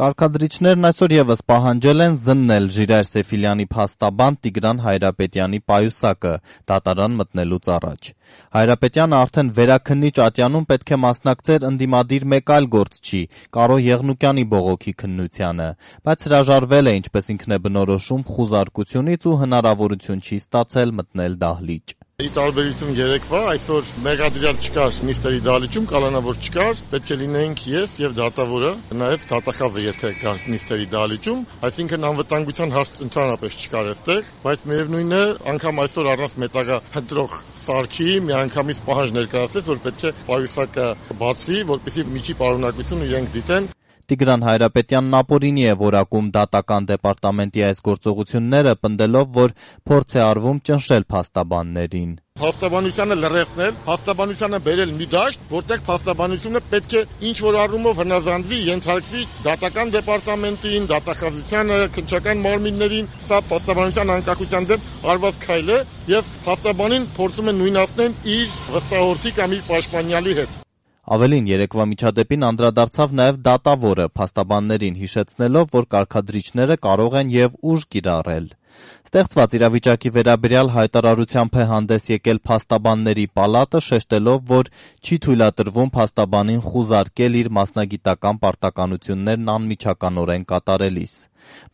Կարգադրիչներն այսօր եւս պահանջել են զննել Ժիրայր Սեֆիլյանի փաստաբան Տիգրան Հայրապետյանի պայուսակը դատարան մտնելուց առաջ։ Հայրապետյանը արդեն վերաքննիչ ատյանում պետք է մասնակցեր ընդդիմադիր մեկ այլ գործչի՝ Կարո Եղնուկյանի բողոքի քննությանը, բայց հրաժարվել է, ինչպես ինքն է բնորոշում, խուզարկությունից ու հնարավորություն չի ստացել մտնել դահլիճ։ Ի տարբերություն երեկվա, այսօր մեղադրյալ չկար նիստերի դահլիճում, կանոնավոր չկար, պետք է լինեինք ես եւ դատավորը, նաեւ դատախազը, եթե կար նիստերի դահլիճում, այսինքն անվտանգության հարց ընդհանրապես չկար այստեղ, բայց միևնույն է, անգամ այսօր առանց մետաղա փնտրող սարքի միանգամից պահանջ ներկայացրեց, որ պետք է պայուսակը բացվի, որպեսզի միջի պարունակություն իրենք դիտեն։ Տիգրան Հայրապետյանն ապօրինի է որակում դատական դեպարտամենտի այս գործողությունները, պնդելով, որ փորձ է արվում ճնշել փաստաբաններին։ Փաստաբանությանը լրացնել, փաստաբանությանը բերել մի դաշտ, որտեղ փաստաբանությունը պետք է ինչ-որ առումով հնազանդվի, ենթարկվի դատական դեպարտամենտին, դատախազությանը, քննչական մարմիններին, սա փաստաբանության անկախության դեմ արված քայլ է եւ փաստաբանին փորձում են նույնացնել իր վստահորդի կամ իր պաշտպանյալի հետ։ Ավելին, երեկվա միջադեպին անդրադարձավ նաև դատավորը, փաստաբաններին հիշեցնելով, որ կարգադրիչները կարող են եւ ուժ կիրառել։ Ստեղծված իրավիճակի վերաբերյալ հայտարարությամբ է հանդես եկել փաստաբանների պալատը, շեշտելով, որ չի թույլատրվում փաստաբանին խուզարկել իր մասնագիտական պարտականություններն անմիջականորեն կատարելիս։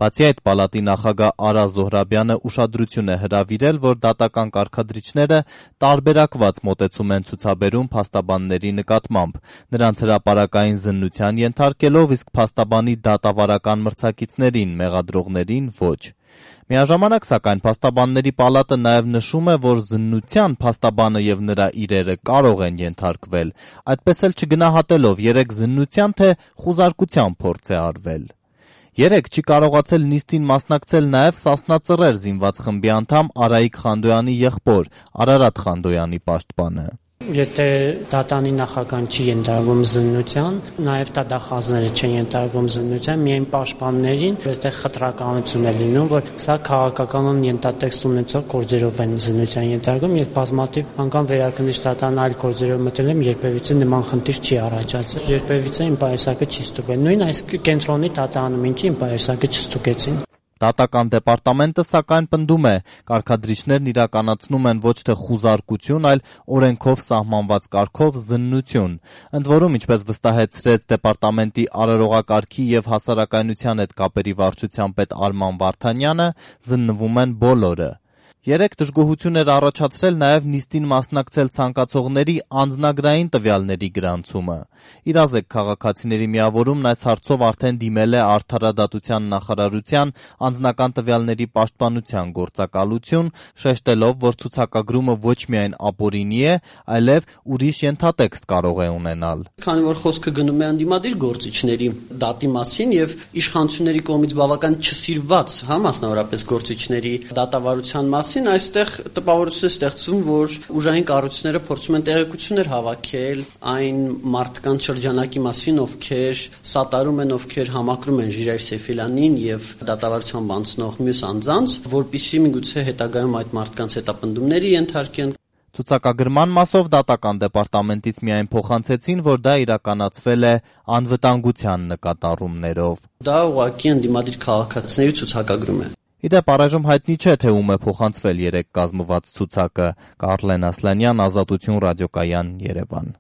Բացի այդ, պալատի նախագահ Արա Զոհրաբյանը ուշադրություն է հրավիրել, որ դատական կարգադրիչները տարբերակված մոտեցում են ցուցաբերում փաստաբանների նկատմամբ, նրանց հրապարակային զննության ենթարկելով, իսկ փաստաբանի դատավարական մրցակիցներին, մեղադրողներին ոչ։ Միաժամանակ, սակայն, փաստաբանների պալատը նաև նշում է, որ զննության փաստաբանը եւ նրա իրերը կարող են ենթարկվել, այդպես էլ չգնահատելով երեք զննության թե խուզարկության փորձ է արվել։ Երեք չի կարողացել նիստին մասնակցել նաև Սասնա Ծռեր զինված խմբի անդամ Արայիկ Խանդոյանի եղբոր Արարատ Խանդոյանի պաշտպանը։ Եթե դատանի նախագահան չի ենթարկվում զննության, նաև դատախազները չեն ենթարկվում զննության, միայն պաշտպաններին, որտեղ խտրականություն է լինում, որ սա քաղաքականon ենթատեքստ ունեցող գործերով են զննության ենթարկվում եւ բազմաթիվ անգամ վերաքննիչ դատարան այլ գործերով մտել եմ, երբևիցե նման խնդիր չի առաջացել, երբևիցե իմ պայուսակը չի ստուգվել, նույն այս կենտրոնի դատարանում ինչի իմ պայուսակը չստուգեցին։ Դատական դեպարտամենտը, սակայն, պնդում է, կարգադրիչներն իրականացնում են ոչ թե խուզարկություն, այլ օրենքով սահմանված կարգով զննություն։ Ընդ որում, ինչպես վստահեցրեց դեպարտամենտի արարողակարգի եւ հասարակայնության հետ կապերի վարչության պետ Արման Վարդանյանը, զննվում են բոլորը։ Երեք դժգոհություն էր առաջացրել նաև նիստին մասնակցել ցանկացողների անձնագրային տվյալների գրանցումը։ Իրազեկ քաղաքացիների միավորումն այս հարցով արդեն դիմել է Արդարադատության նախարարության անձնական տվյալների պաշտպանության գործակալություն, շեշտելով, որ ցուցակագրումը ոչ միայն ապօրինի է, այլև ուրիշ ենթատեքստ կարող է ունենալ։ Քանի որ խոսքը գնում է ընդդիմադիր գործիչների դատի մասին եւ իշխանությունների կողմից բավական չսիրված, մասնավորապես գործիչների դատավարության մասին, այստեղ տպավորություն է ստեղծում, որ ուժային կառույցները փորձում են տեղեկություններ հավաքել այն մարդկանց շրջանակի մասին, ովքեր սատարում են, ովքեր համակրում են Ժիրայր Սեֆիլյանին եւ դատավարությամբ անցնող մյուս անձանց, որպեսզի միգուցե հետագայում այդ մարդկանց հետապնդումների ենթարկեն։ Ցուցակագրման մասով դատական դեպարտամենտից միայն փոխանցեցին, որ դա իրականացվել է անվտանգության նկատառումներով։ Դա ուղղակի ընդդիմադիր քաղաքացիների ցուցակագրում է։ Իդեպ առայժմ հայտնի չէ, թե ում է փոխանցվել երեք կազմված ցուցակը։ Կարլեն Ասլանյան, Ազատություն ռադիոկայան, Երևան։